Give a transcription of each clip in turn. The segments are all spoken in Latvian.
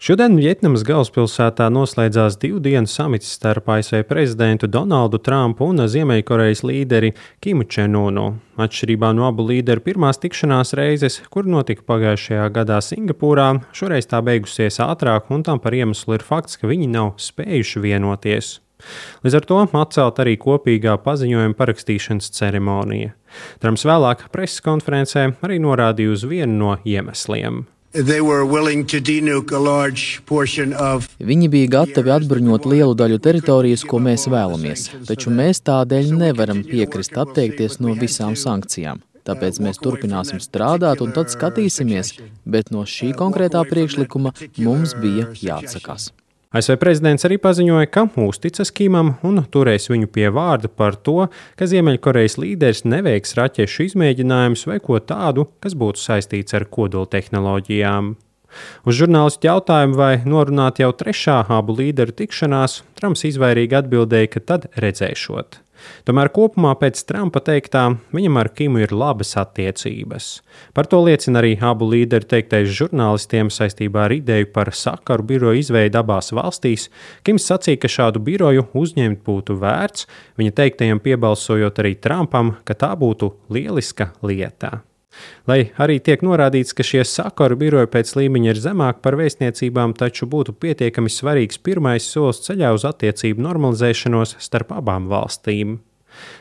Šodien Vjetnamas galvaspilsētā noslēdzās 2 dienu samits starp ASV prezidentu Donaldu Trumpu un Ziemeļkorejas līderi Kimu Čen-unu. Atšķirībā no abu līderu pirmās tikšanās reizes, kur notika pagājušajā gadā Singapūrā, šoreiz tā beigusies ātrāk, un tam par iemeslu ir fakts, ka viņi nav spējuši vienoties. Līdz ar to atcelt arī kopīgā paziņojuma parakstīšanas ceremonija. Trumps vēlāk preses konferencē arī norādīja uz vienu no iemesliem. Viņi bija gatavi atbruņot lielu daļu teritorijas, ko mēs vēlamies, taču mēs tādēļ nevaram piekrist atteikties no visām sankcijām. Tāpēc mēs turpināsim strādāt un tad skatīsimies, bet no šī konkrētā priekšlikuma mums bija jāatsakās. ASV prezidents arī paziņoja, ka uzticas Kimam un turēs viņu pie vārda par to, ka Ziemeļkorejas līderis neveiks raķešu izmēģinājumus vai ko tādu, kas būtu saistīts ar kodoltehnoloģijām. Uz žurnālistu jautājumu, vai norunāt jau trešā abu līderu tikšanās, Trumps izvairīgi atbildēja, ka tad redzēšot. Tomēr kopumā pēc Trumpa teiktā viņam ar Kimu ir labas attiecības. Par to liecina arī abu līderu teiktais žurnālistiem saistībā ar ideju par sakaru biroju izveidi abās valstīs. Kims sacīja, ka šādu biroju uzņemt būtu vērts, viņa teiktajam piebalsojot arī Trumpam, ka tā būtu lieliska lieta. Lai arī tiek norādīts, ka šie sakaru biroji pēc līmeņa ir zemāk par vēstniecībām, taču būtu pietiekami svarīgs pirmais solis ceļā uz attiecību normalizēšanos starp abām valstīm.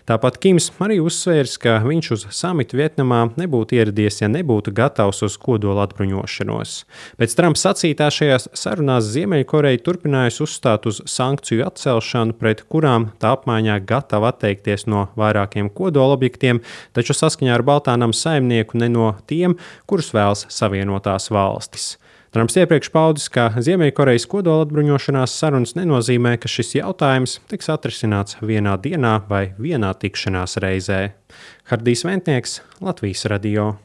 Tāpat Kims arī uzsvērs, ka viņš uz samitu Vjetnamā nebūtu ieradies, ja nebūtu gatavs uz kodola atbruņošanos. Pēc Trumpa sacītā šajās sarunās Ziemeļkoreja turpinājusi uzstāt uz sankciju atcelšanu, pret kurām tā apmaiņā gatava atteikties no vairākiem kodola objektiem, taču saskaņā ar Baltānamu saimnieku ne no tiem, kurus vēlas Savienotās valstis. Trumps iepriekš paudis, ka Ziemeļkorejas kodola atbruņošanās sarunas nenozīmē, ka šis jautājums tiks atrisināts vienā dienā vai vienā tikšanās reizē. Hardijs Ventnieks, Latvijas radio.